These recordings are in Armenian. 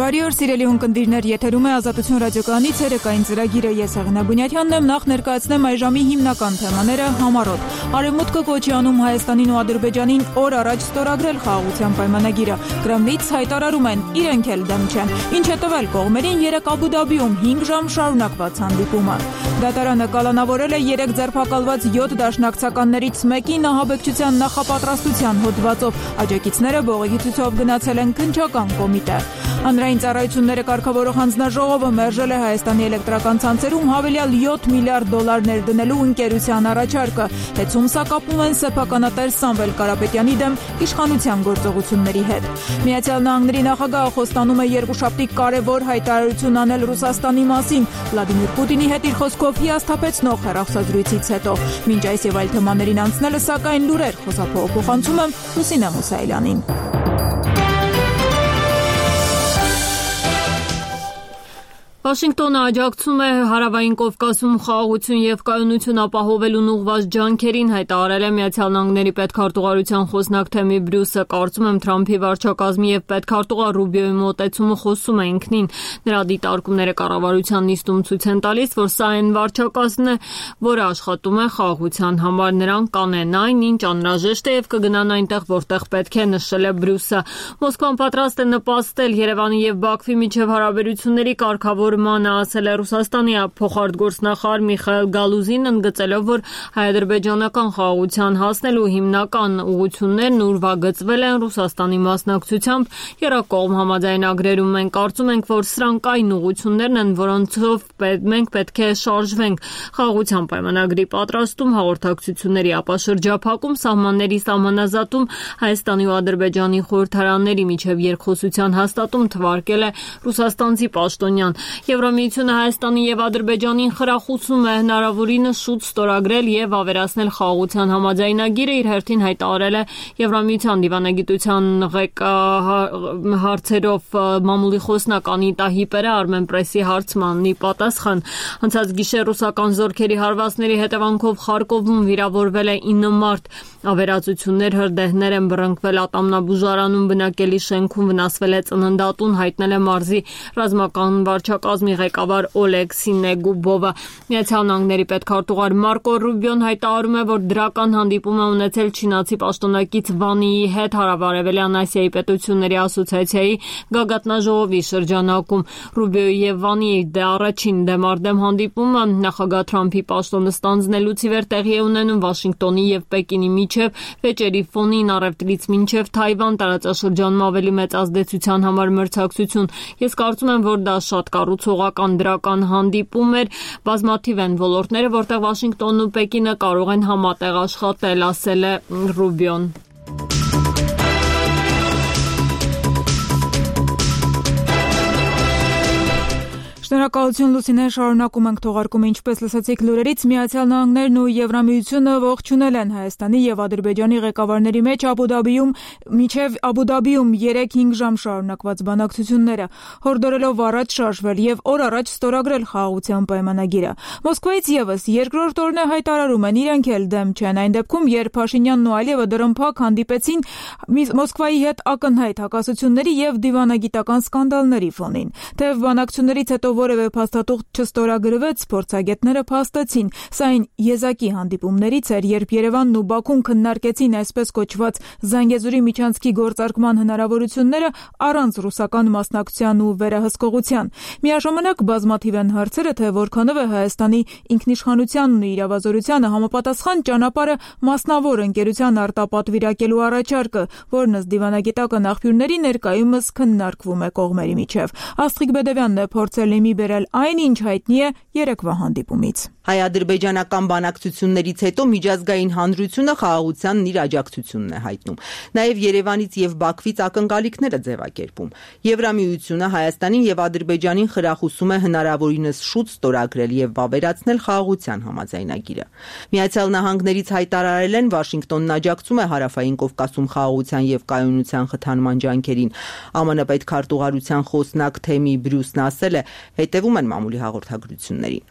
Բարի օր, սիրելի ունկնդիրներ, եթերում է Ազատություն ռադիոկայանի ցերեկային ծրագիրը։ Ես Աղինա Բունյաթյանն եմ, նախ ներկայացնեմ այս ժամի հիմնական թեմաները համառոտ։ Արևմուտքը կոչի անում Հայաստանին ու Ադրբեջանին օր առաջ ստորագրել խաղաղության պայմանագիրը։ Կրեմլից հայտարարում են, իրենք էլ դեմ չեն։ Ինչ է տվել կողմերին երեկ Աբու Դաբիում 5 ժամ շարունակված հանդիպումը։ Դատարանը կալանավորել է 3 ձերբակալված 7 դաշնակցականներից մեկի նահաբեկչության նախապատրաստության հոդվածով։ Աջակիցները բողոքի ցույցով գնացել են քննչական կոմիտե։ Հանրային ծառայությունները կարգավորող հանձնաժողովը մերժել է Հայաստանի էլեկտրական ցանցերում հավելյալ 7 միլիարդ դոլար ներդնելու ընկերության առաջարկը։ Հետում սա կապում են սեփականատեր Սամվել Կարապետյանի դեմ իշխանության գործողությունների հետ։ Միացյալ Նահանգների նախագահը խոստանում է երկուշաբթի կարևոր հայտարարություն անել Ռուսաստանի մասին։ Վլադիմիր Պուտինի հետ իր խոսքով հիասթափեցնող հեռախոսազրույցից հետո։ Մինչ այս եւ այլ թեմաներին անցնելը, սակայն լուրեր խոսափողը փոխանցում եմ Լուսինե Մուսայելյանին։ Վաշինգտոնը աջակցում է Հարավային Կովկասում խաղաղություն եւ կայունություն ապահովելուն ուղղված ջանքերին, հայտարարել է Միացյալ Նահանգների պետքարտուղարության խոսնակ Թեմի Բրյուսը։ Կարծում եմ Թրամփի վարչակազմի եւ պետքարտուղար Ռուբիոյի մոտեցումը խոսում է ինքնին։ Նրա դիտարկումները կառավարության նիստում ցույց են տալիս, որ սա այն վարչակազմն է, որը աշխատում է խաղաղության համար։ Նրանք կանեն այն, ինչ անհրաժեշտ է եւ կգնան այնտեղ, որտեղ պետք է, նշել է Բրյուսը։ Մոսկվան պատրաստ է նպաստել Երևանի եւ Բաքվի միջև հարաբերությունների կարգավորմանը, ասել է Ռուսաստանի փոխարտգործնախարար Միխայել Գալուզին, ընդգծելով, որ հայ-ադրբեջանական խաղաղության հասնելու հիմնական ուղղություններն ուրվագծվել են Ռուսաստանի մասնակցությամբ երկկողմ համաձայնագրերում։ Մենք կարծում ենք, որ սրանք այն ուղղություններն են, որոնցով մենք պետք է շարժվենք։ Խաղաղության պայմանագրի պատրաստում, հաղորդակցությունների ապաշրջափակում, սահմանների սահմանազատում, Հայաստանի ու Ադրբեջանի խորհրդարանների միջև երկխոսության հաստատում թվարկել է ռուսաստանցի պաշտոնյան։ Եվրամիությունը Հայաստանի եւ Ադրբեջանին խրախուսում է հնարավորինս շուտ ստորագրել եւ ավերացնել խաղաղության համաձայնագիրը, իր հերթին հայտարարել է Եվրամիության դիվանագիտության հարցերով մամուլի խոսնակ Անիտա Հիպերը Armenpress-ի հարցմանի պատասխան։ Անցած գիշեր ռուսական զորքերի հարվածների հետևանքով Խարկովում վիրավորվել է 9 մարդ։ Ավերածություններ, հրդեհներ են բռնկվել ատամնաբուժարանում, բնակելի շենքում վնասվել է ծննդատուն, հայտնել է մարզի ռազմական վարչակազմի ղեկավար Օլեգ Սինեգուբովը։ Միացյալ Նահանգների պետքարտուղար Մարկո Ռուբիոն հայտարարում է, որ դրական հանդիպում է ունեցել չինացի պաշտոնակից Վանիի հետ Հարավարևելյան Ասիայի պետությունների ասոցիացիայի գագաթնաժողովի շրջանակում։ Ռուբիոյի եւ Վանիի առաջին դեմարդեմ հանդիպումը նախագահ Թրամփի պաշտոնը ստանձնելուց ի վեր տեղի է ունենում Վաշինգտոնի եւ Պեկինի միջև վեճերի ֆոնին, առևտրից մինչև Թայվան տարածաշրջանում ավելի մեծ ազդեցության համար մրցակցություն։ Ես կարծում եմ, որ դա շատ կառուցողական դրական հանդիպում էր։ Բազմաթիվ են ոլորտները, որտեղ Վաշինգտոնն ու Պեկինը կարող են համատեղ աշխատել, ասել է Ռուբիոն։ Շնորհակալություն Լուսինե, շարունակում ենք թողարկումը, ինչպես լսեցիք լուրերից, Միացյալ Նահանգներն ու Եվրամիությունը ողջունել են Հայաստանի եւ Ադրբեջանի ղեկավարների մեջ Աբու Դաբիում 3-5 ժամ շարունակված բանակցությունները, հորդորելով առաջ շարժվել եւ օր առաջ ստորագրել խաղաղության պայմանագիրը։ Մոսկվայից եւս երկրորդ օրն է հայտարարում են, իրենք էլ դեմ չեն, այն դեպքում, երբ Փաշինյանն ու Ալիևը դրամփակ հանդիպեցին Մոսկվայի հետ ակնհայտ հակասությունների եւ դիվանագիտական սկանդալների ֆոնին։ Թեև բանակցություններից հետո որևէ փաստաթուղթ չստորագրվեց, փորձագետները փաստեցին։ Սա այն եզակի հանդիպումներից էր, երբ Երևանն ու Բաքուն քննարկեցին այսպես կոչված Զանգեզուրի միջանցքի գործարկման հնարավորությունները առանց ռուսական մասնակցության ու վերահսկողության։ Միաժամանակ բազմաթիվ են հարցերը, թե որքանով է Հայաստանի ինքնիշխանությանն ու իրավազորությանը համապատասխան ճանապարհը մասնավոր ընկերության արտապատվիրակելու առաջարկը, որն ըստ դիվանագիտական աղբյուրների ներկայումս քննարկվում է կողմերի միջև։ Աստղիկ Բեդևյանն է փորձել իմի բերել այն, ինչ հայտնի է երեկվա հանդիպումից։ Հայ-ադրբեջանական բանակցություններից հետո միջազգային հանրությունը խաղաղությանն իր աջակցությունն է հայտնում։ Նաև Երևանից եւ Բաքվից ակնկալիքներ է ձևակերպում։ Եվրամիությունը Հայաստանին եւ Ադրբեջանին խրախուսում է հնարավորինս շուտ ստորագրել եւ վավերացնել խաղաղության համաձայնագիրը։ Միացյալ Նահանգներից հայտարարել են, Վաշինգտոնն աջակցում է Հարավային Կովկասում խաղաղության եւ կայունության խթանման ջանքերին։ ԱՄՆ պետքարտուղարության խոսնակ Թեմի Բրյուսն ասել է, հետևում են մամուլի հաղորդագրություններին։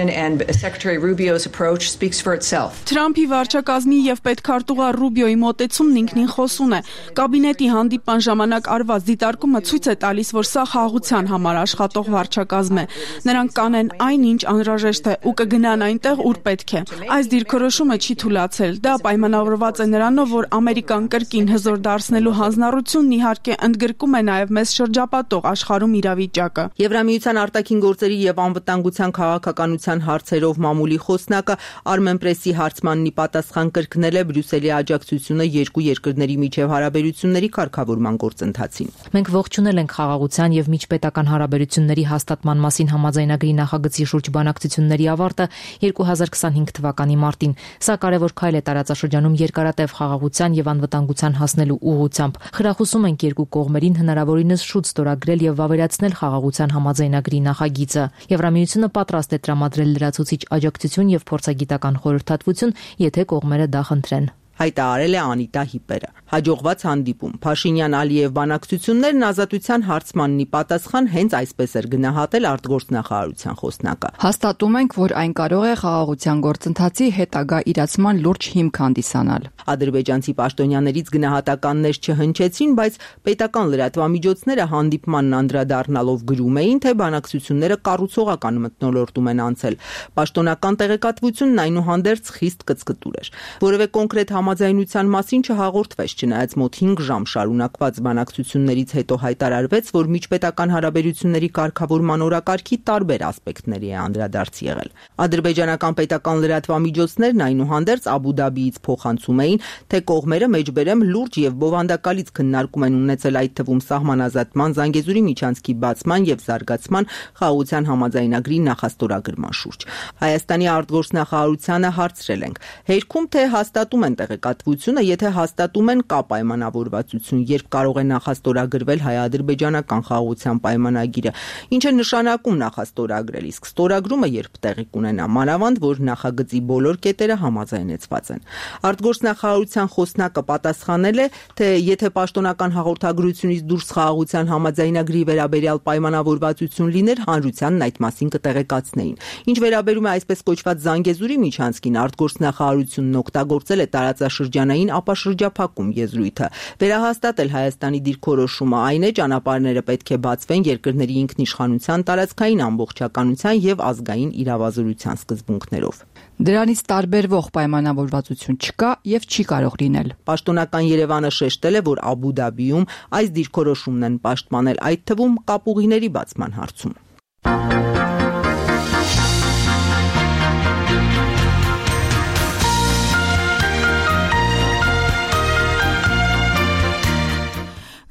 administration and Secretary Rubio's approach speaks for itself. Թրամփի վարչակազմի եւ պետքարտուղար Ռուբիոյի մոտեցումն ինքնին խոսուն է։ Կաբինետի հանդիպման ժամանակ արված դիտարկումը ցույց է տալիս, որ սա խաղաղության համար աշխատող վարչակազմ է։ Նրանք կանեն այնինչ անհրաժեշտ է ու կգնան այնտեղ, ուր պետք է։ Այս դիրքորոշումը չի թույլատրել։ Դա պայմանավորված է նրանով, որ Ամերիկան կրկին հզոր դարձնելու հանձնառությունն իհարկե ընդգրկում է նաև մեզ շրջապատող աշխարհում իրավիճակը։ Եվրամիության արտաքին գործերի եւ անվտանգության քաղաքականության հարցերով մամուլի խոսնակը Armenpress-ի հարցմանն ի պատասխան կրկնել է Բրյուսելի աջակցությունը երկու երկրների միջև հարաբերությունների կարգավորման գործընթացին։ Մենք ողջունել ենք խաղաղության եւ միջպետական հարաբերությունների հաստատման մասին համաձայնագրի նախագծի շուրջ բանակցությունների ավարտը 2025 թվականի մարտին։ Սա կարևոր քայլ է տարածաշրջանում երկարատև խաղաղության եւ անվտանգության հասնելու ուղղությամբ։ Խրախուսում ենք երկու կողմերին հնարավորինս շուտ ստորագրել եւ վավերացնել խաղաղության համաձայնագրի նախագիծը։ Եվրամիությունը պատրաստ է տրամադրել լրացուցիչ աջակցություն եւ փորձագիտական խորհրդատվություն, եթե կողմերը դա խնդրեն։ Հայտարարել է Անիտա Հիպերը։ Հաջողված հանդիպում Փաշինյան-Ալիև բանակցություններն ազատության հարցմանն ի պատասխան հենց այսպես էր գնահատել արտգործնախարարության խոսնակը։ Հաստատում ենք, որ այն կարող է խաղաղության գործընթացի հետագա իրացման լուրջ հիմք հանդիսանալ։ Ադրբեջանցի պաշտոնյաներից գնահատականներ չհնչեցին, բայց պետական լրատվամիջոցները հանդիպմանն անդրադառնալով գրում էին, թե բանակցությունները կառուցողական մթնոլորտում են անցել։ Պաշտոնական տեղեկատվությունն այնուհանդերձ խիստ կծկտուր էր։ Որևէ կոնկրետ համաձայնության մասին չհաղորդվեց, չնայած մոտ 5 ժամ շարունակված բանակցություններից հետո հայտարարվեց, որ միջպետական հարաբերությունների կարգավորման օրակարգի տարբեր ասպեկտների է անդրադարձ եղել։ Ադրբեջանական պետական լրատվամիջոցներն այնուհանդերձ Աբու Դաբիից փոխանցում էին, թե կողմերը մեջբերեմ լուրջ եւ բովանդակալից քննարկում են ունեցել այդ թվում սահմանազատման, Զանգեզուրի միջանցքի բացման եւ զարգացման խաղաղության համաձայնագրի նախաստորագրման շուրջ։ Հայաստանի արտգործնախարարությանը հարցրել ենք. հերքում թե հաստատում են տեղեկատվությունը, եթե հաստատում են կա պայմանավորվածություն, երբ կարող է նախաստորագրվել հայ-ադրբեջանական խաղաղության պայմանագիրը, ինչ է նշանակում նախաստորագրել, իսկ ստորագրումը երբ տեղի կունենա, մանավանդ որ նախագծի բոլոր կետերը համաձայնեցված են։ Արտգործնախարարության խոսնակը պատասխանել է, թե եթե պաշտոնական հաղորդագրությունից դուրս խաղաղության համաձայնագրի վերաբերյալ պայմանավորվածություն լիներ, հանրությանն այդ մասին կտեղեկացնեին։ Ինչ վերաբերում է այսպես կոչված Զանգեզուրի միջանցքին, արտգործնախարարությունն օգտագործել է տարածաշրջանային ապաշրջափակում եզրույթը, վերահաստատել Հայաստանի դիրքորոշումը, այն է ճանապարհները պետք է բացվեն երկրների ինքնիշխանության, տարածքային ամբողջականության եւ ազգային իրավազորության սկզբունքներով։ Դրանից տարբերվող պայմանավորվածություն չկա եւ չի կարող լինել։ Պաշտոնական Երևանը շեշտել է, որ Աբու Դաբիում այս դիրքորոշումն են պաշտպանել, այդ թվում կապուղիների բացման հարցում։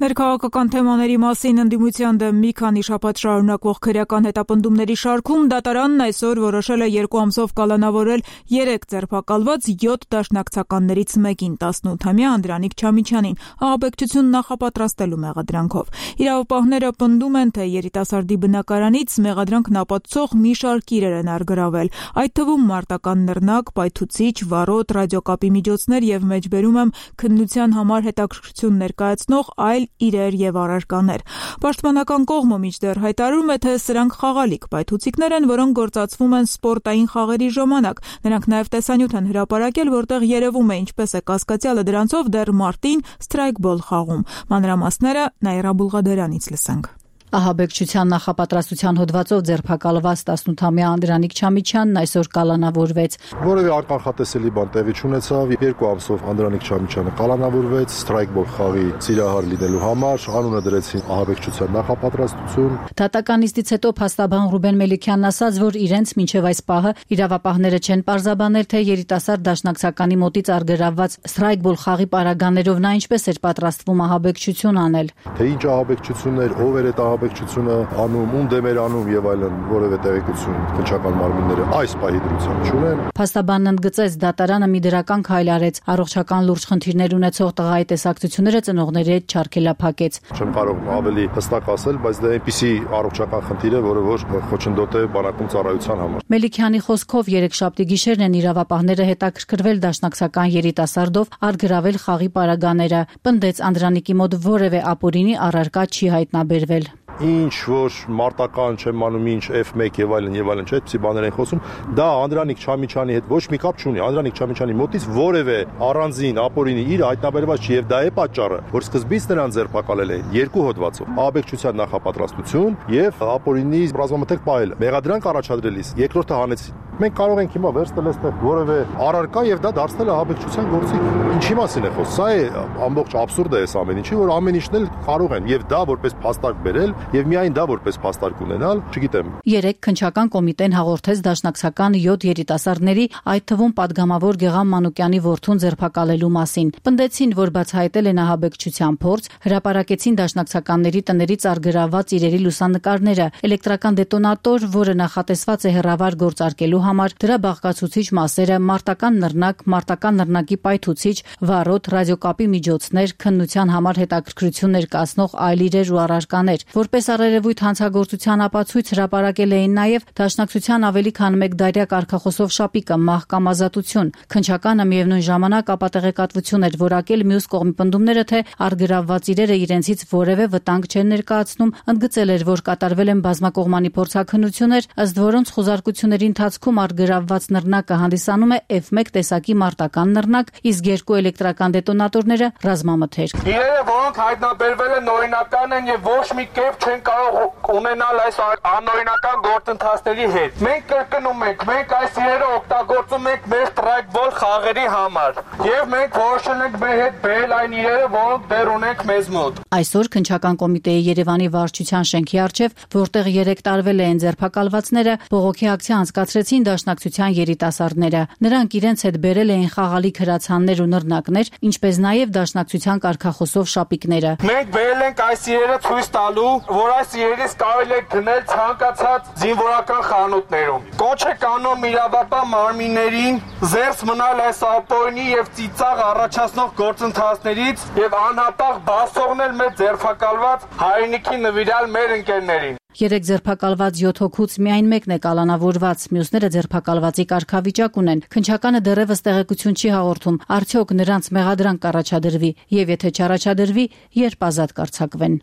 Ներքաղաքական թեմաների մասին ընդդիմության դեմ մի քանի շաբաթ շարունակվող քրեական հետապնդումների շարքում դատարանն այսօր որոշել է 2 ամսով կալանավորել 3 ձերբակալված 7 դաշնակցականներից մեկին 18-ամյա Անդրանիկ Չամիչյանին ահաբեկչություն նախապատրաստելու մեղադրանքով։ Իրավապահները պնդում են, թե երիտասարդի բնակարանից մեղադրանքն ապացուցող մի շարք իրեր են առգրավել, այդ թվում մարտական նռնակ, պայթուցիչ, վարոտ, ռադիոկապի միջոցներ եւ մեջբերում եմ քննության համար հետաքրքրություն ներկայացնող այլ իրեր եւ առարկաներ։ Պաշտպանական կողմը մինչդեռ հայտարարում է, թե սրանք խաղալիք պայթուցիկներ են, որոնք գործածվում են սպորտային խաղերի ժամանակ։ Նրանք նաեւ տեսանյութ են հրապարակել, որտեղ երևում է ինչպես է կասկածյալը դրանցով դեռ մարտին սթրայքբոլ խաղում։ Մանրամասները Նաիրա Բուլղադարյանից լսենք։ Ահաբեկչության նախապատրաստության հոդվածով ձերբակալված 18-ամյա Անդրանիկ Չամիչյանն այսօր կալանավորվեց։ Որևէ կանխատեսելի բան տեղի չունեցավ, 2 ամսով Անդրանիկ Չամիչյանը կալանավորվեց սթրայքբոլ խաղի սիրահար լինելու համար, անունը դրեցին ահաբեկչության նախապատրաստություն։ Դատական նիստից հետո փաստաբան Ռուբեն Մելիքյանն ասաց, որ իրենց մինչև այս պահը իրավապահները չեն պարզաբանել, թե երիտասարդ դաշնակցականի մոտից առգրավված սթրայքբոլ խաղի պարագաներով նա ինչպես էր պատրաստվում ահաբեկչություն անել։ Թե ինչ ահաբեկչություններ, ով էր այդ ահաբեկչությունը անում, ում դեմ էր անում եւ այլն, որևէ տեղեկություն քննչական մարմինները այս պահի դրությամբ չունեն։ Փաստաբանն ընդգծեց, դատարանը մի դրական քայլ արեց, առողջական լուրջ խնդիրներ ունեցող տղայի տեսակցությունները ծնողների հետ չարգելափակեց։ Չեմ կարող ավելի հստակ ասել, բայց դա այնպիսի առողջական խնդիր է, որը որ խոչընդոտ է բանակում ծառայության համար։ Մելիքյանի խոսքով երեքշաբթի գիշերն են իրավապահները հետաքրքրվել դաշնակցական երիտասարդով առգրավել խաղի պարագաները։ Պնդեց Անդրանիկի մոտ որևէ ապօրինի առարկա չի հայտնաբերվել։ ինչ որ մարտական չեմ անում, ինչ F1 եւ այլն, չէ, այդպիսի բաներ են խոսում, դա Անդրանիկ Չամիչյանի հետ ոչ մի կապ չունի։ Անդրանիկ Չամիչյանի մոտից որևէ առանձին ապօրինի իր հայտնաբերված չի եւ դա է պատճառը, որ սկզբից նրան ձերբակալել է երկու հոդվածով՝ ահաբեկչության նախապատրաստություն եւ ապօրինի ռազմամթերք պահելը։ Մեղադրանք առաջադրելիս երկրորդը հանեցին։ Մենք կարող ենք հիմա վերցնել այստեղ որևէ առարկա եւ դա դարձնել ահաբեկչության գործիք։ Ինչի մասին է խոսքը։ Սա է ամբողջ աբսուրդը է ամեն ինչի, որ ամեն ինչն էլ կարող են եւ դա որպես փաստարկ բերել եւ միայն դա որպես փաստարկ ունենալ, չգիտեմ։ Երեք քննչական կոմիտեն հաղորդեց դաշնակցական 7 երիտասարդների, այդ թվում падգամավոր Գեգամ Մանուկյանի որդուն ձերբակալելու մասին։ Պնդեցին, որ բացահայտել են ահաբեկչության փորձ, հրապարակեցին դաշնակցականների տներից արգրավված իրերի լուսանկարները, էլեկտրական դետոնատոր, որը նախատեսված է հեռավար գործարկելու համար, դրա բաղկացուցիչ մասերը, մարտական նռնակի պայթուցիչ, վառոդ, ռադիոկապի միջոցներ, քննության համար հետաքրքրություն ներկայացնող այլ իրեր ու առարկաներ։ Որպես առերևույթ հանցագործության ապացույց հրապարակել էին նաև դաշնակցության ավելի քան 1 դարյա կարգախոսով շապիկը մահ կամ ազատություն։ Քննչականը միևնույն ժամանակ ապատեղեկատվություն էր որակել մյուս կողմի պնդումները, թե արգրավված իրերը իրենցից որևէ վտանգ չեն ներկայացնում, ընդգծել էր, որ կատարվել են բազմակողմանի փորձաքննություններ, ըստ որոնց խուզարկությունների ընթացքում արգրավված նռնակը հանդիսանում է F1 տեսակի մարտական նռնակ, իսկ 2 էլեկտրական դետոնատորները ռազմամթերք։ Իրերը, որոնք հայտնաբերվել են, օրինական են եւ ոչ մի կերպ չեն կարող ունենալ այս անօրինական գործընթացների հետ։ Մենք կրկնում ենք, մենք այս իրերը օգտագործում ենք մեր ստրայքբոլ խաղերի համար եւ մենք որոշել ենք մեր հետ բերել այն իրերը, որոնք դեռ ունենք մեզ մոտ։ Այսօր քննչական կոմիտեի Երևանի վարչության շենքի առջև, որտեղ 3 տարվել են ձերբակալվածները, բողոքի ակցիա անցկացրեցին դաշնակցության երիտասարդները։ Նրանք իրենց հետ բերել էին խաղալիք հրացաններ ու նռնակներ, ինչպես նաև դաշնակցության կարգախոսով շապիկները։ Մենք բերել ենք այս իրերը ցույց տալու, որ այս իրերից կարելի է գնել ցանկացած զինվորական խանութներում։ Կոչ է կանոն իրավապահ մարմիններին զերծ մնալ այս ապօրինի եւ ծիծաղ առաջացնող գործընթացներից եւ անհապաղ բացողնել մեր ձերբակալված հայրենիքի նվիրալ մեր ընկերներին։ 3 ձերբակալված 7 հոգուց միայն մեկն է կալանավորված, մյուսները ձերբակալվածի կարգավիճակ ունեն։ Քննչականը դեռևս տեղեկություն չի հաղորդում, արդյոք նրանց մեղադրանք կառաջադրվի եւ եթե չառաջադրվի, երբ ազատ կարձակվեն։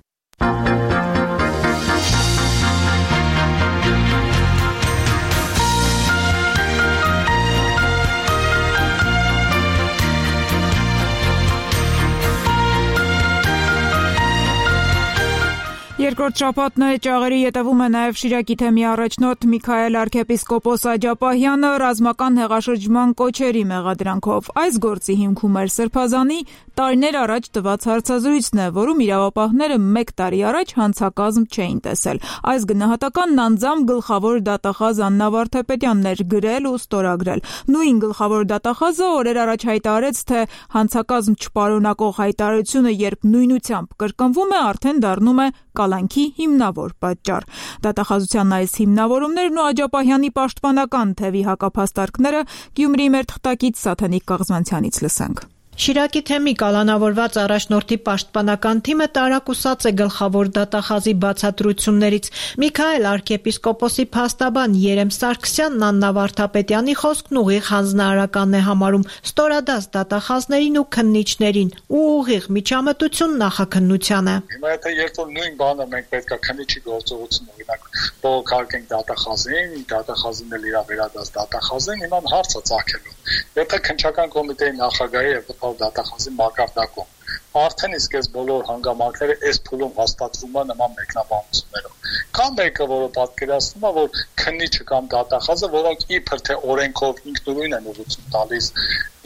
Երկրորդ շաբաթն է, ճաղերի ետևում է նաև Շիրակի թեմի առաջնորդ Միքայել arczepiskopos Աջապահյանը ռազմական հեղաշրջման կոչերի մեղադրանքով։ Այս գործի հիմքում էր Սրբազանի տարիներ առաջ տված հարցազրույցն է, որում իրավապահները 1 տարի առաջ հանցակազմ չէին տեսել։ Այս գնահատականն անձամբ գլխավոր դատախազ Աննա Վարդապետյանն էր գրել ու ստորագրել։ Նույն գլխավոր դատախազը օրեր առաջ հայտարարեց, թե հանցակազմ չպարունակող հայտարարությունը, երբ նույնությամբ կրկնվում է, արդեն դառնում է կալանքի հիմնավոր պատճառ։ Դատախազության այս հիմնավորումներն ու Աջապահյանի պաշտպանական թևի հակափաստարկները Գյումրիի մեր թղթակից Սաթենիկ Կաղզմանցյանից լսենք։ Շիրակի թեմի կալանավորված առաջնորդի պաշտպանական թիմը տարակուսած է գլխավոր դատախազի բացատրություններից։ Միքայել arczepiskoposի փաստաբան Երեմ Սարգսյանն Աննա Վարդապետյանի խոսքն ուղիղ հանձնարարական է համարում ստորադաս դատախազներին ու քննիչներին ու ուղիղ միջամտություն նախաքննությանը։ Հիմա եթե երբ որ նույն բանը մենք պետք է քննիչի գործողություն օրինակ բողոքարկենք դատախազին, դատախազին էլ իր վերադաս դատախազին, հիմա հարցը ծագելու։ Եթե քննչական կոմիտեի նախագահի եւ դատախազի մակարդակում արդեն իսկ այս բոլոր հանգամանքները այս փուլում հաստատվում է նման մեկնաբանություններով։ Կամ մեկը, որը պատկերացնում է, որ քննիչը կամ դատախազը, որոնք իբր թե օրենքով ինքնուրույն են ուղղություն տալիս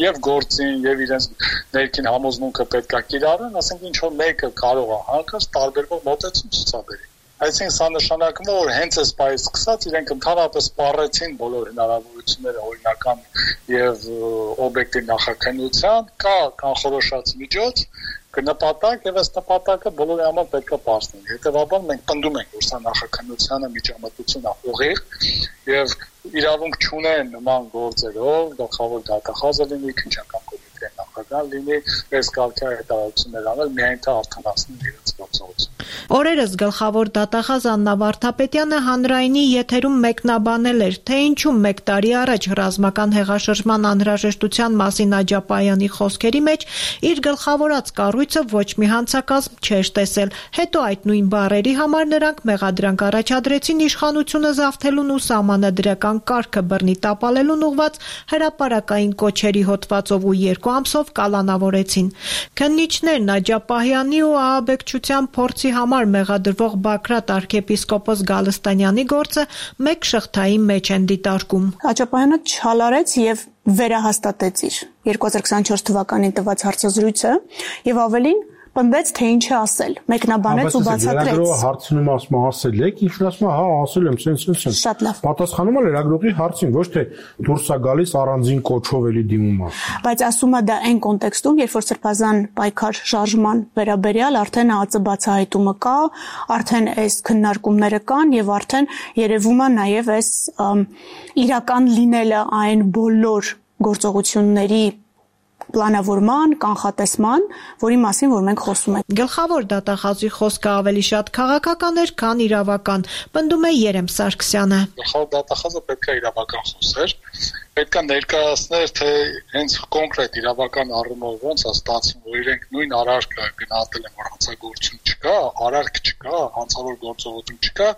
եւ գործին եւ իրենց ներքին համոզմունքը պետք է կիրառեն, ասենք ինչ որ մեկը կարող է հանկարծ տարբերվող մոտեցում ցուցաբերի։ Այսինքն սա նշանակում է, որ հենց այս պայից սկսած իրենք ընդհանրապես սպառեցին բոլոր հնարավորությունները օրինական եւ օբյեկտիվ նախաքննության, կա կանխորոշած միջոց, կնպատակ եւ այս նպատակը բոլորի համար պետք է պարզվի։ Հետեւաբար մենք պնդում ենք, որ սա նախաքննությանը միջամտություն է ուղիղ եւ իրավունք չունեն նման գործերով գլխավոր դատախազը լինի, քննչական կոմիտեի նախագահ լինի, այս կարգի հայտարարություններ անել, միայն թե արդարացնեն իրենց գործողությունը։ Օրերս գլխավոր դատախազ Աննա Վարդապետյանը հանրայինի եթերում մեկնաբանել էր, թե ինչու 1 տարի առաջ ռազմական հեղաշրջման անհրաժեշտության մասին Աջապահյանի խոսքերի մեջ իր գլխավորած կառույցը ոչ մի հանցակազմ չէր տեսել։ Հետո այդ նույն բառերի համար նրանք մեղադրանք առաջադրեցին իշխանությունը զավթելուն ու սահմանադրական կարգը բռնի տապալելուն ուղված հրապարակային կոչերի հոդվածով ու 2 ամսով կալանավորեցին։ Քննիչներն Աջապահյանի ու ահաբեկչության փորձի համար մեղադրվող Բագրատ arczepiskopos Գալստանյանի գործը մեկ շղթայի մեջ են դիտարկում։ Աջապահյանը չհալարեց եւ վերահաստատեց իր 2024 թվականին տված հարցազրույցը եւ ավելին պնդեց, թե ինչ է ասել, մեկնաբանեց ու բացատրեց։ Լրագրողը հարցնում ասել եք, ինչ ասում հա ասել եմ, սենց։ Շատ լավ։ Պատասխանում է լրագրողի հարցին, ոչ թե դուրս է գալիս առանձին կոչով էլի դիմում է։ Բայց ասում է դա այն կոնտեքստում, երբ որ սրբազան պայքար շարժման վերաբերյալ արդեն ԱԱԾ բացահայտումը կա, արդեն այս քննարկումները կան եւ արդեն երևում է նաեւ այս իրական լինելը այն բոլոր գործողությունների պլանավորման, կանխատեսման, որի մասին որ մենք խոսում ենք։ Գլխավոր դատախազի խոսքը ավելի շատ քաղաքական էր, քան իրավական, պնդում է Երեմ Սարգսյանը։ Գլխավոր դատախազը պետք է իրավական խոսեր, պետք է ներկայացներ, թե հենց կոնկրետ իրավական առումով ոնց է ստացվում, որ իրենք նույն արարքը գնահատել են, որ հանցագործություն չկա, արարք չկա, հանցավոր գործողություն չկա,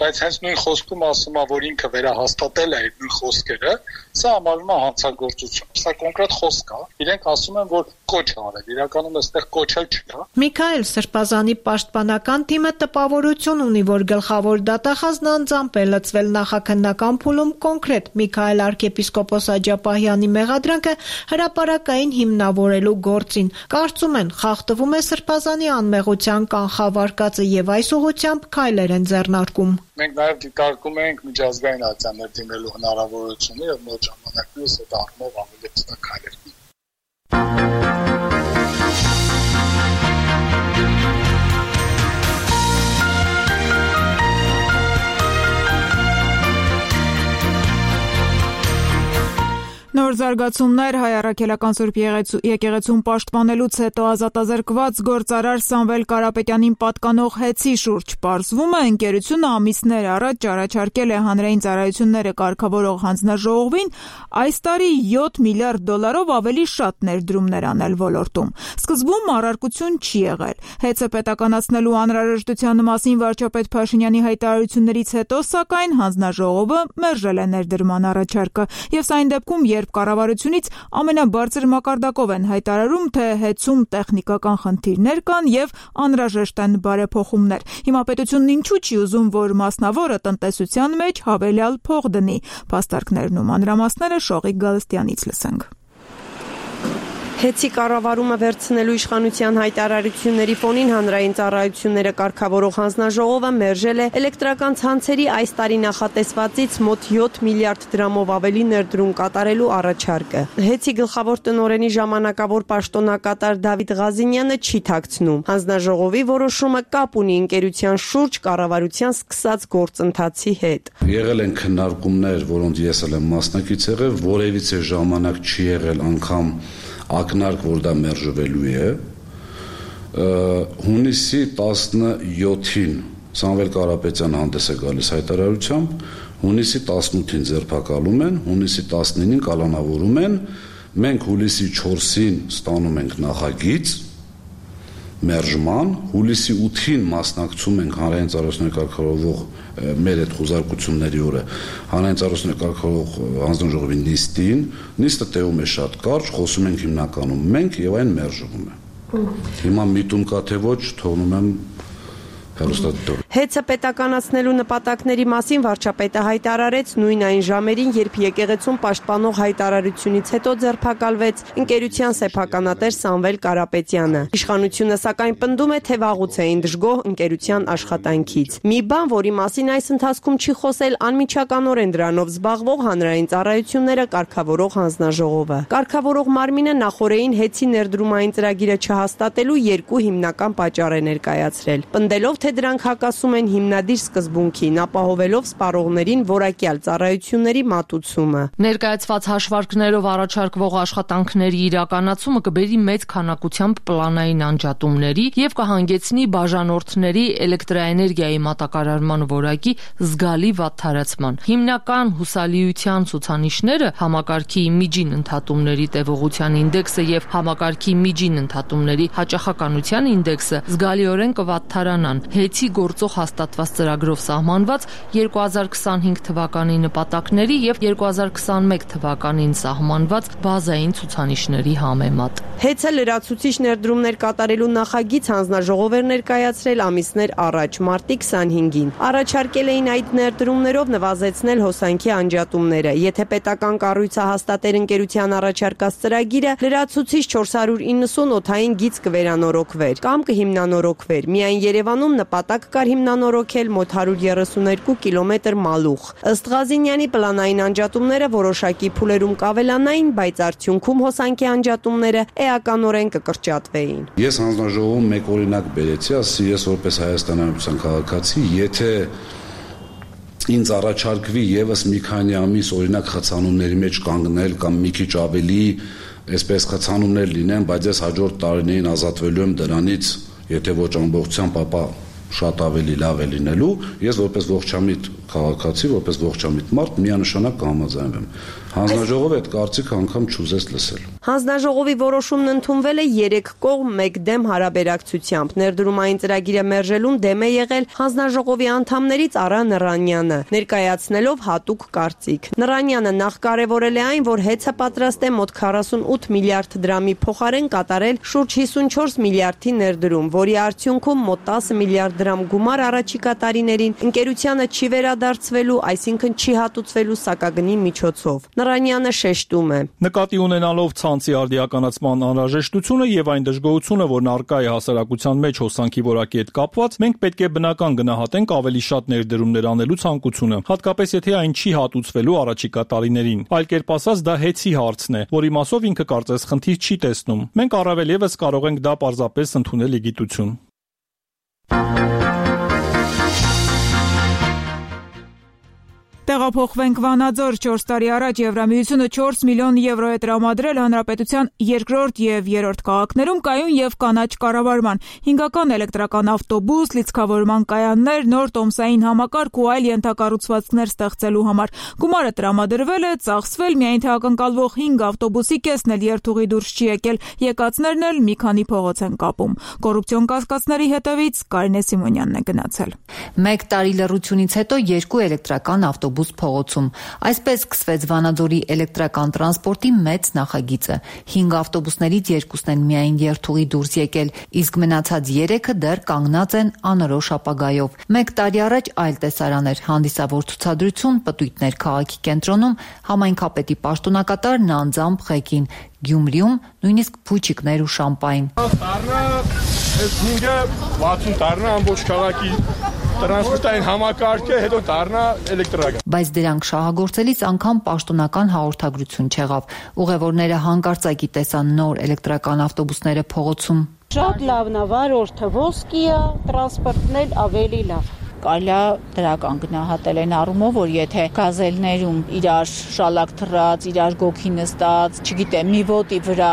բայց հենց նույն խոսքում ասում է, որ ինքը վերահաստատել է այդ նույն խոսքերը, սա համարվում է հանցագործություն։ Սա կոնկրետ խոսք է։ Իրենք ասում են, որ կոչ է արել, իրականում այստեղ կոչել չկա։ Միքայել Սրբազանի պաշտպանական թիմը տպավորություն ունի, որ գլխավոր դատախազն անձամբ է լծվել նախաքննական փուլում կոնկրետ Միքայել arczepiskopos Աջապահյանի մեղադրանքը հրապարակային հիմնավորելու գործին։ Կարծում են, խախտվում է Սրբազանի անմեղության կանխավարկածը եւ այս ուղղությամբ քայլեր են ձեռնարկում։ Մենք նաև դիտարկում ենք միջազգային ակցիաներ դիմելու հնարավորությունը եւ մոտ ժամանակներս այդ առումով ավելի հստակ քայլեր։ Նոր զարգացումներ Հայ առաքելական Սուրբ եկեղեցում պաշտպանելուց հետո ազատազրկված գործարար Սամվել Կարապետյանին պատկանող հեծի շուրջ պարզվում է ընկերությունը ամիսներ առաջ առաջարկել է հանրային ծառայությունները կարգավորող հանձնաժողովին այս տարի $7 միլիարդ ավելի շատ ներդրումներ անել ոլորտում։ Սկզբում առարկություն չի եղել։ Հեծը պետականացնելու անհրաժեշտության մասին վարչապետ Փաշինյանի հայտարարություններից հետո սակայն հանձնաժողովը մերժել է ներդրման առաջարկը եւ սա այն դեպքում, երբ կառավարությունից ամենաբարձր մակարդակով են հայտարարում, թե հեծում տեխնիկական խնդիրներ կան եւ անհրաժեշտ են բարեփոխումներ։ Հիմա պետությունն ինչու չի ուզում, որ մասնավորը տնտեսության մեջ հավելյալ փող դնի։ Փաստարկներն ու մանրամասները Շողիկ Գալստյանից լսենք։ Հեծի կառավարումը վերցնելու իշխանության հայտարարությունների ֆոնին հանրային ծառայությունները կարգավորող հանձնաժողովը մերժել է էլեկտրական ցանցերի այս տարի նախատեսվածից մոտ 7 միլիարդ դրամով ավելի ներդրում կատարելու առաջարկը։ Հեծի գլխավոր տնօրենի ժամանակավոր պաշտոնակատար Դավիթ Ղազինյանը չի թաքցնում։ Հանձնաժողովի որոշումը կապ ունի ընկերության շուրջ կառավարության սկսած գործընթացի հետ։ Եղել են քննարկումներ, որոնց ես էլ եմ մասնակից եղել, որևիցե ժամանակ չի եղել անգամ ակնարկ, որ դա մերժվելու է։ Հունիսի 17-ին Սամվել Կարապետյանը հանդես է գալիս հայտարարությամբ, հունիսի 18-ին ձերբակալում են, հունիսի 19-ին կալանավորում են, մենք հուլիսի 4-ին ստանում ենք նախագիծ մերժման, հուլիսի 8-ին մասնակցում ենք հանրային ծառայությունների կարգավորող մեր այդ խոզարկությունների օրը հանրային ծառայությունների կարգավորող հանձնաժողովի նիստը տևում է շատ կարճ, խոսում ենք հիմնականում մենք եւ այն մերժվում է։ Հիմա միտում կա թե ոչ, թողնում եմ հեռուստադիտորը։ Հեծը պետականացնելու նպատակների մասին վարչապետը հայտարարեց նույն այն ժամերին, երբ եկեղեցում պաշտպանող հայտարարությունից հետո ձերբակալվեց ընկերության սեփականատեր Սամվել Կարապետյանը։ Իշխանությունը սակայն պնդում է, թե վաղուց էին դժգոհ ընկերության աշխատանքից։ Մի բան, որի մասին այս ընթացքում չի խոսել անմիջականորեն դրանով զբաղվող հանրային ծառայությունները կարգավորող հանձնաժողովը։ Կարգավորող մարմինը նախորդին հեծի ներդրումային ծրագիրը չհաստատելու երկու հիմնական պատճառ է ներկայացրել։ Պնդելով, թե դրանք հակասում խոսում են հիմնադիր սկզբունքին, ապահովելով սպառողներին որակյալ ծառայությունների մատուցումը։ Ներկայացված հաշվարկներով առաջարկվող աշխատանքների իրականացումը կբերի մեծ քանակությամբ պլանային անջատումների եւ կհանգեցնի բաժանորդների էլեկտրաէներգիայի մատակարարման որակի զգալի վատթարացման։ Հիմնական հուսալիության ցուցանիշները համակարգի միջին ընդհատումների տևողության ինդեքսը եւ համակարգի միջին ընդհատումների հաճախականության ինդեքսը զգալիորեն կվատթարանան։ Հեծի գործող հաստատված ծրագրով սահմանված 2025 թվականի նպատակների եւ 2021 թվականին սահմանված բազային ցուցանիշների համեմատ։ Հեծը լրացուցիչ ներդրումներ կատարելու նախագիծ հանձնաժողով էր ներկայացրել ամիսներ առաջ, մարտի 25-ին։ Առաջարկել էին այդ ներդրումներով նվազեցնել հոսանքի անջատումները։ Եթե պետական կառույցահաստատեր ընկերության առաջարկած ծրագիրը լրացուցիչ 490 օդային գիծ կվերանորոգվեր կամ կհիմնանորոգվեր։ Միայն Երևանում նպատակ կար հիմնանորոգել մոտ 132 կիլոմետր մալուխ։ Ըստ Ղազինյանի պլանային անջատումները որոշակի փուլերում կավելանային, բայց արդյունքում հոսանքի անջատումները էականորեն կկրճատվեին։ Ես հանձնաժողովում մեկ օրինակ բերեցի, ասի ես որպես Հայաստանի Հանրապետության քաղաքացի, եթե ինձ առաջարկվի եւս մի քանի ամիս օրինակ խցանումների մեջ կանգնել կամ մի քիչ ավելի այսպես խցանումներ լինեն, բայց ես հաջորդ տարիներին ազատվելու եմ դրանից, եթե ոչ ամբողջությամբ, ապա շատ ավելի լավ է լինելու, ես որպես ողջամիտ քաղաքացի, որպես ողջամիտ մարդ միանշանակ կհամաձայնվեմ։ Հանձնաժողովը այդ կարծիքը անգամ չուզեց լսել։ Հանձնաժողովի որոշումն ընդունվել է 3 կողմ մեկ դեմ հարաբերակցությամբ։ Ներդրումային ծրագիրը մերժելուն դեմ է եղել հանձնաժողովի անդամներից Արա Նռանյանը, ներկայացնելով հատուկ կարծիք։ Նռանյանը նախ կարևորել է այն, որ հեծը պատրաստ է մոտ 48 միլիարդ դրամի փոխարեն կատարել շուրջ 54 միլիարդի ներդրում, որի արդյունքում մոտ 10 միլիարդ դրամ գումար առաջիկա տարիներին ընկերությանը չի վերադարձվելու, այսինքն չի հատուցվելու սակագնի միջոցով։ Նռանյանը շեշտում է. Նկատի ունենալով ցանցի արդիականացման անհրաժեշտությունը եւ այն դժգոհությունը, որն առկա է հասարակության մեջ հոսանքի որակի հետ կապված, մենք պետք է բնական գնահատենք ավելի շատ ներդրումներ անելու ցանկությունը, հատկապես եթե այն չի հատուցվելու առաջիկա տարիներին։ Այլ կերպ ասած, դա հեծի հարցն է, որի մասով ինքը կարծես խնդիր չի տեսնում։ Մենք առավել եւս կարող ենք դա պարզապես ընդունել իգիտություն։ Տեղափոխվենք Վանաձոր 4 տարի առաջ Եվրամիությունը 4 միլիոն եվրո է տրամադրել հանրապետության երկրորդ եւ երրորդ քաղաքներում կայուն եւ կանաչ կառավարման, հինգական էլեկտրական ավտոբուս, լիցքավորման կայաններ, նոր տոմսային համակարգ ու այլ ենթակառուցվածքներ ստեղծելու համար։ Գումարը տրամադրվել է, ծախսվել, միայն թե ակնկալվող 5 ավտոբուսի կեսն էլ երթուղի դուրս չի եկել, եկածներն էլ մի քանի փողոց են կապում։ Կոռուպցիոն կասկածների հետևից Կարինե Սիմոնյանն է գնացել։ Մեկ տարի լռությունից հետո 2 էլեկտրական ավտոբուս փողոցում։ Այսպես սկսվեց Վանաձորի էլեկտրական տրանսպորտի մեծ նախագիծը։ 5 ավտոբուսներից 2-ն են միայն երթուղի դուրս եկել, իսկ մնացած 3-ը դեռ կանգնած են անորոշ ապագայով։ Մեկ տարի առաջ այլ տեսարան էր, հանդիսավոր ցուցադրություն, պտույտներ քաղաքի կենտրոնում, համայնքապետի պաշտոնակատարն անձամբ ղեկին, Գյումրիում նույնիսկ փուչիկներ ու շամպայն։ Այս 5-ը 60 տարնա ամբողջ քաղաքի տրանսպորտային համակարգը, հետո դառնա էլեկտրական։ Բայց դրանք շահագործելիս անգամ պաշտոնական հաղորդագրություն չեղավ։ Ուղևորները հանկարծակի տեսան նոր էլեկտրական ավտոբուսները փողոցում։ Շատ լավն է, վարորդը ոսկի է, տրանսպորտն էլ ավելի լավ։ Կարելի է դրական գնահատել այն առումով, որ եթե գազելներում իրար շալակ թռած, իրար գոքի նստած, չգիտեմ, մի ոտի վրա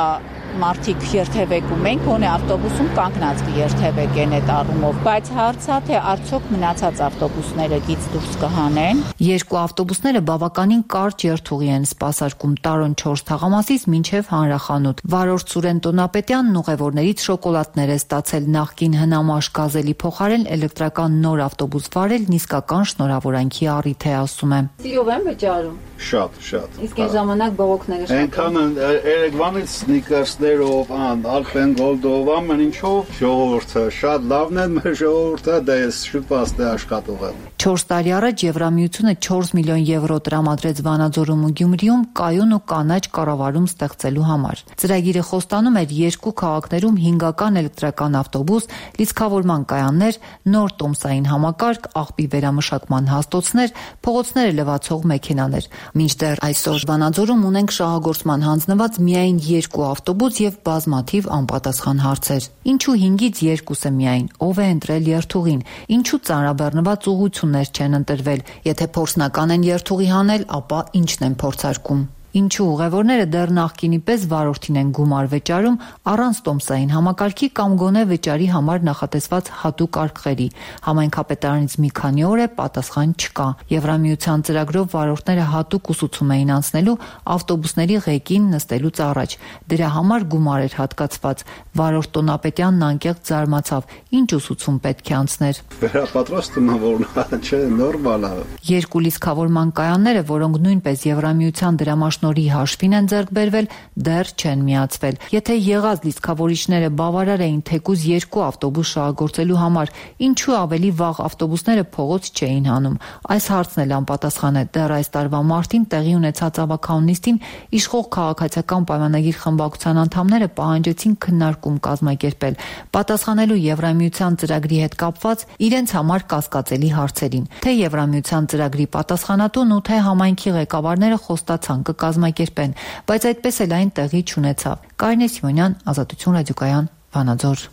մարդիկ երթևեկում են, գոնե ավտոբուսում կանգնած կերթևեկեն այդ առումով, բայց հարցա թե արդյոք մնացած ավտոբուսները գից դուրս կհանեն։ 2 ավտոբուսները բավականին կարճ երթուղի են սպասարկում Տարոն 4 թաղամասից մինչև Հանրախանութ։ Վարորդ Սուրեն Տոնապետյանն ուղևորներից շոկոլադներ է ստացել, նախկին հնամաշ գազելի փոխարեն էլեկտրական նոր ավտոբուս վարելն իսկական շնորհավորանքի առիթ է, ասում է։ Սիրով են վճարում։ Շատ։ Իսկ այն ժամանակ բողոքները շատ։ Այնքան Երևանից սնիկերսներով, Alpen Gold-ով, ամեն ինչով ժողովուրդը շատ լավն է, մեր ժողովուրդը դա է շուտ պաստե աշխատող է։ 4 տարի առաջ Եվրամիությունը 4 միլիոն եվրո տրամադրեց Վանաձորում ու Գյումրիում կայուն ու կանաչ կառավարում ստեղծելու համար։ Ծրագիրը խոստանում էր 2 քաղաքներում հինգական էլեկտրական ավտոբուս, լիցքավորման կայաններ, նոր տոմսային համակարգ, աղբի վերամշակման հաստոցներ, փողոցները լվացող մեքենաներ։ Մինչդեռ այսօր Վանաձորում ունենք շահագործման հանձնված միայն 2 ավտոբուս դպրոց եւ բազմաթիվ անպատասխան հարցեր։ Ինչու 5-ից 2-ը միայն, ով է ընտրել երթուղին, ինչու ծանրաբեռնված ուղղություններ չեն ընտրվել, եթե փորձնական են երթուղի հանել, ապա ինչն են փորձարկում։ Ինչու ուղևորները դեռ նախկինի պես վարորդին են գումար վճարում առանց տոմսային համակարգի կամ գոնե վճարի համար նախատեսված հատուկ արկղերի։ Համայնքապետարանից մի քանի օր է պատասխան չկա։ Եվրամիության ծրագրով վարորդները հատուկ ուսուցում էին անցնելու ավտոբուսների ղեկին նստելուց առաջ։ Դրա համար գումար էր հատկացված։ Վարորդ Տոնապետյանն անկեղծ զարմացավ. ինչ ուսուցում պետք է անցներ։ Վերապատրաստումը որն չէ, նորմալ է։ Երկու լիցքավորման կայանները, որոնք նույնպես Եվրամիության դրամաշնորհի հաշվին են ձեռք բերվել, դեռ չեն միացվել։ Եթե եղած լիցքավորիչները բավարար էին թեկուզ 2 ավտոբուս շահագործելու համար, ինչու ավելի վաղ ավտոբուսները փողոց չէին հանում։ Այս հարցն էլ անպատասխան է։ Դեռ այս տարվա մարտին տեղի ունեցած ավագանուն նիստին իշխող քաղաքացիական պայմանագիր խմբակցության անդամները պահանջեցին քննարկում կազմակերպել, պատասխանելու Եվրամիության ծրագրի հետ կապված իրենց համար կասկածելի հարցերին։ Թե Եվրամիության ծրագրի պատասխանատուն ու թե համայնքի ղեկավարները խոստացան կկազմակերպեն, բայց այդպես էլ այն տեղի չունեցավ։ Կարինե Սիմոնյան, Ազատություն ռադիոկայան, Վանաձոր։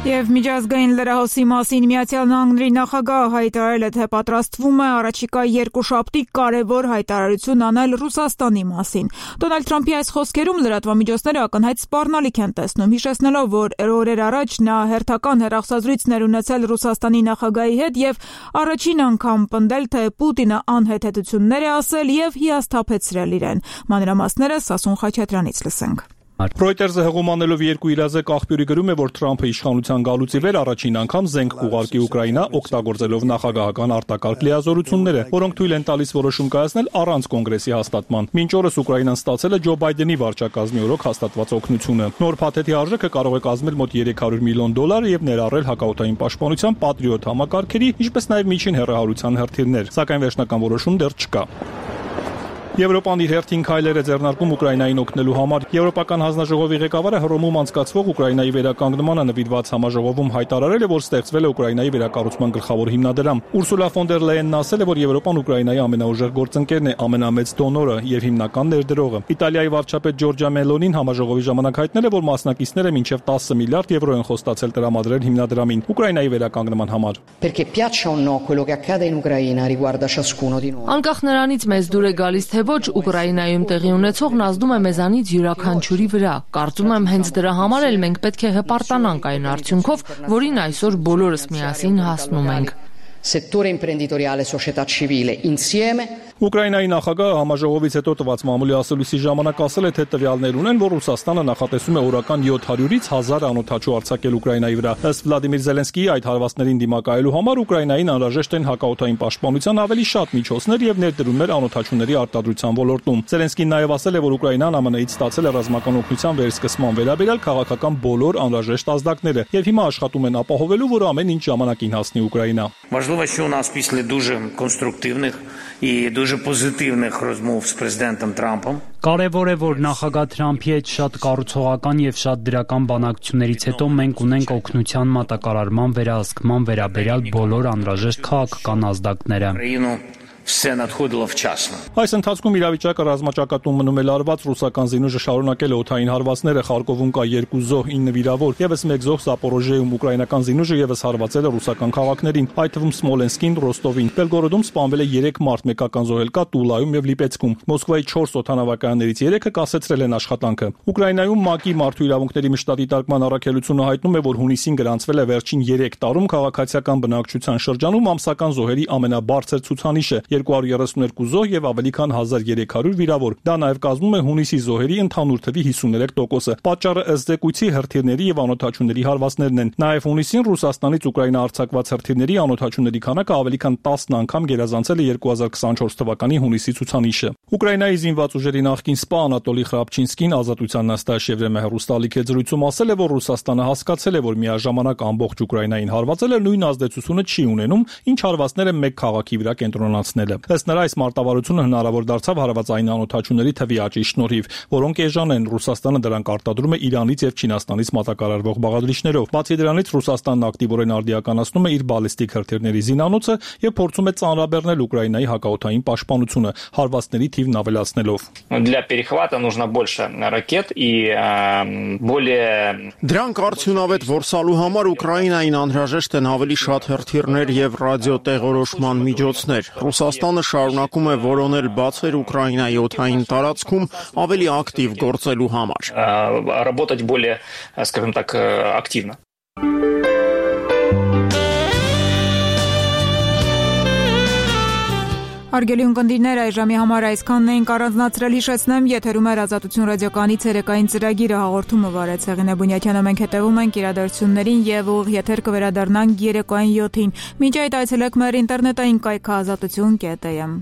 Եվ միջազգային լրահոսի մասին Միացյալ Նահանգների նախագահը հայտարարել է, թե պատրաստվում է առաջիկա երկուշաբթի կարևոր հայտարարություն անել Ռուսաստանի մասին։ Դոնալդ Թրամփի այս խոսքերում լրատվամիջոցները ակնհայտ սպառնալիք են տեսնում, հիշեցնելով, որ օրեր առաջ նա հերթական հեռախոսազրույցներ ունեցել Ռուսաստանի նախագահի հետ եւ առաջին անգամ պնդել, թե Պուտինը անհեթեթություններ է ասել եւ հիասթափեցրել իրեն։ Մանրամասները Սասուն Խաչատրյանից լսենք։ Reuters-ը հղում անելով երկու իրազեկ աղբյուրի գրում է, որ Թրամփը իշխանության գալուց ի վեր առաջին անգամ զենք կուղարկի Ուկրաինա, օգտագործելով նախագահական արտակարգ լիազորությունները, որոնք թույլ են տալիս որոշում կայացնել առանց կոնգրեսի հաստատման։ Մինչ օրս Ուկրաինան ստացել է Ջո Բայդենի վարչակազմի օրոք հաստատված օգնությունը։ Նոր փաթեթի արժեքը կարող է կազմել մոտ $300 միլիոն եւ ներառել հակաօդային պաշտպանության Patriot համակարգերի, ինչպես նաեւ միջին հեռահարության հրթիռներ, սակայն վերջնական որոշում դեռ չկա։ Եվրոպան իր հերթին քայլեր է ձեռնարկում Ուկրաինային օգնելու համար։ Եվրոպական հանձնաժողովի ղեկավարը Հռոմում անցկացվող Ուկրաինայի վերականգնմանը նվիրված համաժողովում հայտարարել է, որ ստեղծվել է Ուկրաինայի վերակառուցման գլխավոր հիմնադրամ։ Ուրսուլա ֆոն դեր Լեյենն ասել է, որ Եվրոպան Ուկրաինայի ամենաուժեղ գործընկերն է, ամենամեծ դոնորը եւ հիմնական ներդրողը։ Իտալիայի վարչապետ Ջորջա Մելոնին համաժողովի ժամանակ հայտնել է, որ մասնակիցները մինչև 10 միլիարդ եվրո են խոստացել տրամադրել հիմնադրամին Ուկրաինայի վերականգնման համար։ Անկախ նրանից մեզ դուր է գալիս թե ոչ Ուկրաինայում տեղի ունեցողն ազդում է մեզանից յուրաքանչյուրի վրա։ Կարծում եմ հենց դրա համար էլ մենք պետք է հպարտանանք այն արդյունքով, որին այսօր բոլորս միասին հասնում ենք։ Settore imprenditoriale, società civile, insieme. Ուկրաինայի նախագահը համաժողովից հետո տված մամուլի ասելույցի ժամանակ ասել է, թե տվյալներ ունեն, որ Ռուսաստանը նախատեսում է օրական 700-ից 1000 անօդաչու արձակել Ուկրաինայի վրա։ Ըստ Վլադիմիր Զելենսկիի այդ հարվածներին դիմակայելու համար Ուկրաինային անհրաժեշտ են հակաօդային պաշտպանության ավելի շատ միջոցներ եւ ներդրումներ անօդաչուների արտադրության ոլորտում։ Զելենսկին նաեւ ասել է, որ Ուկրաինան ԱՄՆ-ից ստացել է ռազմական օգնության վերսկսման վերաբերյալ քաղաքական բոլոր անհրաժեշտ ազդակները եւ հիմա աշխատում են ապահովելու, որ ամեն ինչ ժամանակին հասնի Ուկրաինա։ Важливо, що у нас після дуже конструктивних і дуже позитивних розмов з президентом Трампом. Կարևոր է, որ նախագահ Թրամփի հետ շատ կառուցողական եւ շատ դրական բանակցություններից հետո մենք ունենք օգնության մատակարարման վերահսկման վերաբերյալ բոլոր անհրաժեշտ քաղաքական ազդակները։ Все надходило вчасно. Այս ընթացքում իրավիճակը ռազմաճակատում մնում է լարված, ռուսական զինուժը շարունակել է օդային հարվածները, Խարկովում կա 2 զոհ, 9 վիրավոր, եւս 1 զոհ Զապորոժիեում, ուկրաինական զինուժը եւս հարվածել է ռուսական քաղաքներին, այդ թվում Սմոլենսկին, Ռոստովին։ Բելգորոդում սպանվել է 3 մարդ, մեկական զոհել կա Տուլայում եւ Լիպեցկում։ Մոսկվայի 4 օդանավակայաններից 3-ը կասեցրել են աշխատանքը։ Ուկրաինայում ՄԱԿ-ի մարդու իրավունքների մշտատի տարգման առաքելությունը հայտնում է, որ հունիսին գրանցվել է վերջին 3 տարում քաղաքացիական բնակչության շրջանում ամսական զոհերի ամենաբարձր ցուցանիշը։ 232 զոհ եւ ավելի քան 1300 վիրավոր։ Դա նաեւ կազմում է հունիսի զոհերի ընդհանուր թվի 53%-ը։ Պատճառը ըստ զեկույցի հրթիռների եւ անօդաչուների հարվածներն են։ Նաեւ հունիսին Ռուսաստանից Ուկրաինա արձակված հրթիռների անօդաչուների քանակը ավելի քան 10 անգամ գերազանցել է 2024 թվականի հունիսի ցուցանիշը։ Ուկրաինայի զինված ուժերի նախկին սպա Անատոլի Խրապչինսկին Ազատության նստաշեվրեմը հեռուստալիք է զրույցում ասել է, որ Ռուսաստանը հասկացել է, որ միաժամանակ ամբողջ Ուկրաինային հարվածելը նույն ազդեցությունը չի ունենում, ինչ հարվածները մեկ քաղաքի վրա կենտրոնացնելը։ հասնելը։ Ըստ նրա այս մարտավարությունը հնարավոր դարձավ հարվածային անօթաչուների թվի աճի շնորհիվ, որոնք էժան են։ Ռուսաստանը դրանք արտադրում է Իրանից եւ Չինաստանից մատակարարվող բաղադրիչներով։ Բացի դրանից Ռուսաստանն ակտիվորեն արդիականացնում է իր բալիստիկ հրթիռների զինանոցը եւ փորձում է ծանրաբեռնել Ուկրաինայի հակաօդային պաշտպանությունը, հարվածների թիվն ավելացնելով։ Для перехвата нужно больше ракет и более Դրանք արդյունավետ որսալու համար Ուկրաինային անհրաժեշտ են ավելի շատ հրթիռներ եւ ռադիոտեղորոշման միջոցներ։ Ռուսաստանը շարունակում է որոնել բացեր Ուկրաինայի օդային տարածքում ավելի ակտիվ գործելու համար։ Работать более, скажем так, активно. Արգելի ունկնդիրներ, այժմի համար այսքանն էինք առանձնացրել, հիշեցնեմ, եթերում է Ազատություն ռադիոկայանի ցերեկային ծրագիրը, հաղորդումը վարեց Հեղինե Բունյաթյանը, մենք հետևում ենք իրադարձություններին եւ ուղիղ եթեր կվերադառնանք երեկոյան 7-ին։ Մինչ այդ այցելեք մեր ինտերնետային կայքը azatutun.am